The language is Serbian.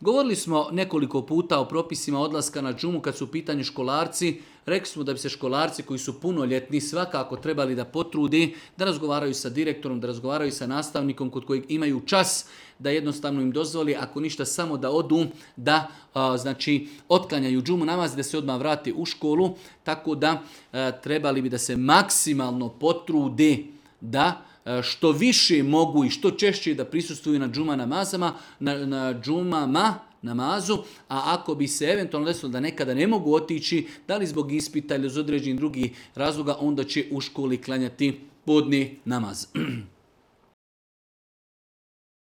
Govorili smo nekoliko puta o propisima odlaska na džumu kad su u pitanju školarci. Rekli smo da bi se školarci koji su punoljetni svakako trebali da potrudi, da razgovaraju sa direktorom, da razgovaraju sa nastavnikom kod kojeg imaju čas, da jednostavno im dozvoli, ako ništa samo da odu, da znači otklanjaju džumu namaz i da se odmah vrati u školu. Tako da trebali bi da se maksimalno potrude da što više mogu i što češće da prisustvuju na džuma namazama, na džumama namazu, a ako bi se eventualno desilo da nekada ne mogu otići, da li zbog ispita ili iz određenih drugih razloga, onda će u školi klanjati podni namaz.